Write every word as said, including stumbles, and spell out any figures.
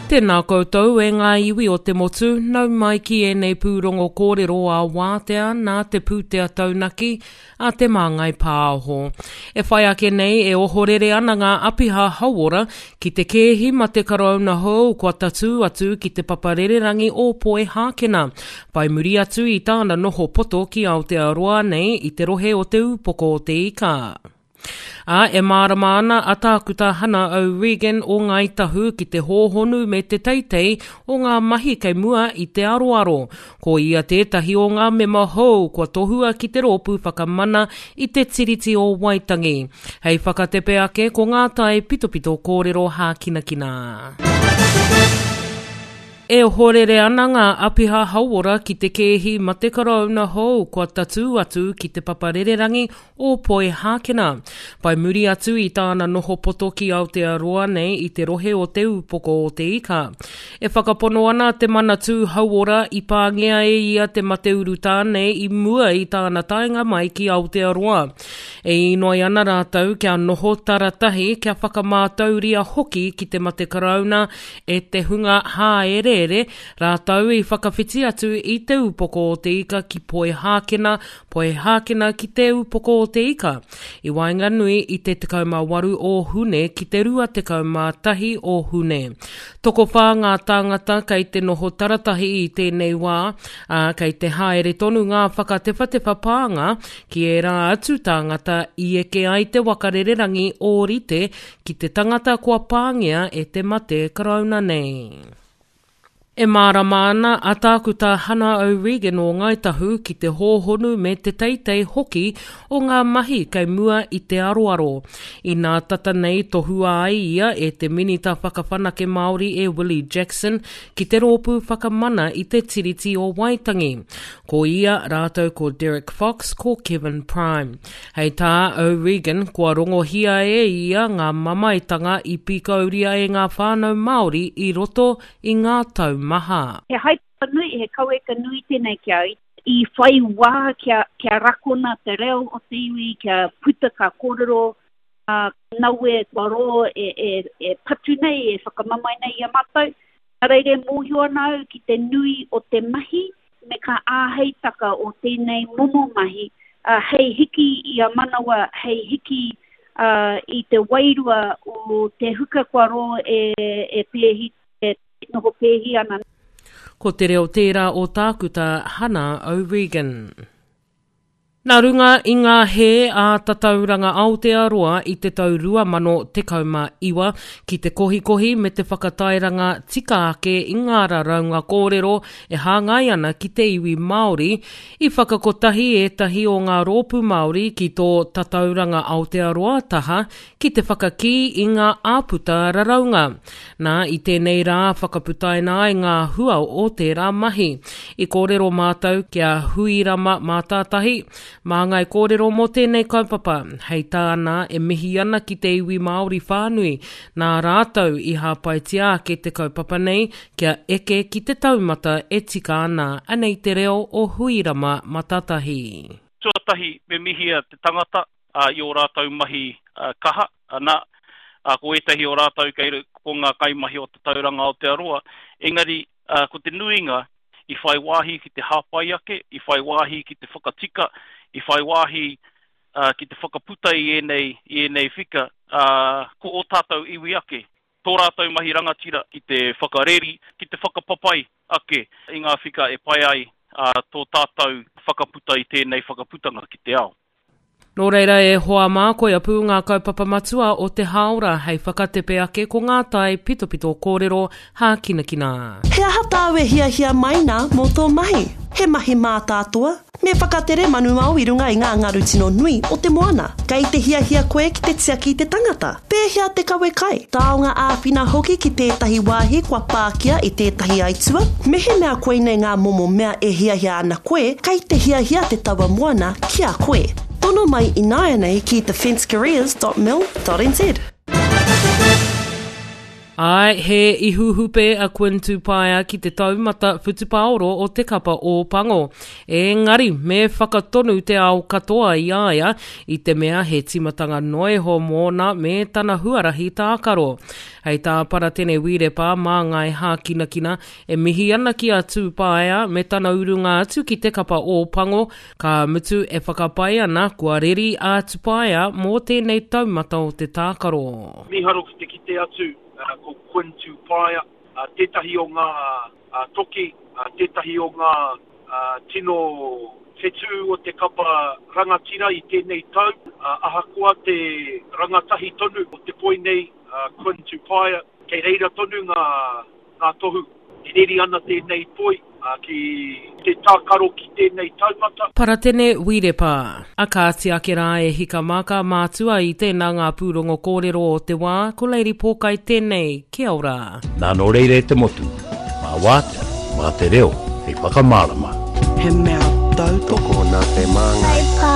Tēnā koutou e ngā iwi o te motu, nau mai ki ēnei pūrongo kōrero a wātea nā te pūtea taunaki a Te Māngai Pāho. E whai ake nei e ohorere ana ngā apiha hauora ki te kēhi mate karauna hou kua tatū atu ki te paparererangi o Poihākena. Whai muri atu i tāna noho poto ki Aotearoa nei i te rohe o Te Ūpoko o Te Ika. Ā, e mārama ana a Tākuta Hana O'Regan o Ngāi Tahu ki te hōhonu me te teitei o ngā mahi kei mua i te aroaro. Ko ia tētahi o ngā mema hou kua tohua ki te Rōpū Whakamana i te Tiriti o Waitangi. Hei whakatepe ake ko ngā tae pitopito kōrero hākinakina. E ohorere ana ngā apiha hauora ki te kēhi mate karauna hou kua tatū atu ki te paparererangi o Poihākena. Whai muri atu i tāna noho poto ki Aotearoa nei i te rohe o Te Ūpoko o Te Ika. E whakapono ana te Manatū Hauora i pāngia e ia te mate urutā nei i mua i tāna taenga mai ki Aotearoa. E inoi ana rātou kia noho taratahi kia whakamātauria hoki ki te mate karauna e te hunga hāereere rātou i whakawhiti atu i Te Ūpoko o Te Ika ki Poihākena, Poihākena ki Te Ūpoko o Te Ika, i waenganui i te tekau mā waru o Hune ki te rua tekau mā tahi o Hune. Tokowhā ngā tāngata kei te noho taratahi i tēnei wā, ā, kei te haere tonu ngā whakatewhatewha pānga ki ērā atu tāngata i eke ai te waka rererangi ōrite ki te tangata kua pāngia e te mate karauna nei. E mārama ana a Tākuta Hana O'Regan o Ngāi Tahu ki te hōhonu me te teitei hoki o ngā mahi kei mua i te aroaro. Inā tata nei tohua ai ia e te Minita Whakawhanake Māori e Willie Jackson ki te Rōpū Whakamana i te Tiriti o Waitangi. Ko ia rātou ko Derek Fox, ko Kevin Prime. Hei tā O'Regan, kua rongohia e ia ngā mamaetanga i pīkauria e ngā whānau Māori i roto i ngā tau maha. He haepapa nui, he kaueka nui tēnei ki a au. I whai wā kia, kia rakona te reo o te iwi, kia puta ka kōrero, ā, nawe kua rō e, e, e patu nei, e whakamamae nei i a mātou. Nā reira e mōhio ana au ki te nui o te mahi me ka āheitaka o tēnei momo mahi hei hiki i a manawa, hei hiki i te wairua o te huka kua rō e, e pēhi, e noho pēhi ana. Ko te reo tērā o Tākuta Hana O'Regan. Nā runga i ngā hē a Tatauranga Aotearoa i te tau rua mano tekau mā iwa ki te kohikohi me te whakatairanga tika ake i ngā raraunga kōrero e hāngai ana ki te iwi Māori, i whakakotahi ētahi o ngā rōpū Māori ki tō Tatauranga Aotearoa taha ki te whakakī i ngā āputa raraunga. Nā, i tēnei rā whakaputaina ai ngā hua o tērā mahi. I kōrero mātou ki a Huirama Mātātahi, māngai kōrero mō tēnei kaupapa. Hei tāna, e mihi ana ki te iwi Māori whānui, nā rātou i hāpaitia ake te kaupapa nei kia eke ki te taumata e tika ana. Anei te reo o Huirama Matatahi. Tuatahi, me mihia te tangata, i ō rātou mahi kaha, ana, ko ētahi o rātou kei ko ngā kaimahi o Tatauranga Aotearoa, engari ko te nuinga i whai wāhi ki te hāpai ake, i whai wāhi ki te whakatika, i whai wāhi ki te whakaputa i ēnei, i ēnei whika, ko ō tātou iwi ake, tō rātou mahi rangatira ki te whakareri, ki te whakapapai ake i ngā whika e pai ai tō tātou whakaputa i tēnei whakaputanga ki te ao. Nō reira e hoa mā, koia pū ngā kaupapa matua o te hāora hei whakatepe ake ko ngā tae pitopito kōrero hākinakina. He aha tāu e hiahia mai nā mō tō mahi? He mahi mātātoa? Me whakatere manuao i runga i ngā ngaru tino nui o te moana? Kei te hiahia koe ki te tiaki i te tangata? Pēhea te kawe kai, taonga āwhina hoki ki tētahi wāhi kua pākia i tētahi aitua? Mehemea koinei ngā momo mea e hiahia ana koe, kei te hiahia te taua moana ki a koe. Tono mai ināianei ki defencecareers dot mil dot nz. Āe, he ihuhupe a Quinn Tupaea ki te taumata whutupaoro o te kapa Ōpango. Engari, me whakatonu te ao katoa i a ia, i te mea he tīmatanga noa iho mōna me tana huarahi tākaro. Hei tā Paratene Wirepa māngai hākinakina e mihi ana ki a Tupaea me tana urunga atu ki te kapa Ōpango, ka mutu e whakapae ana kua reri a Tupaea mō tēnei taumata o te tākaro. Mīharo ki te kite atu ko Quinn Tupaea, tētahi o ngā toki, tētahi o ngā tino whetū o te kapa rangatira i tēnei tau, ahakoa te rangatahi tonu o te poi nei, Quinn Tupaea, kei reira tonu ngā, ngā tohu. E reri ana tēnei poi ki te tākaro ki tēnei taumata. Paratene Wirepa. A kāti ake rā e hika mā ka mātua i tēnā ngā pūrongo kōrero o te wā, ko Lady Pōkai tēnei, kia ora. Nā nō reira e te motu, mā wātea, mā te reo, hei whakamārama. He mea tautoko nā te māngai.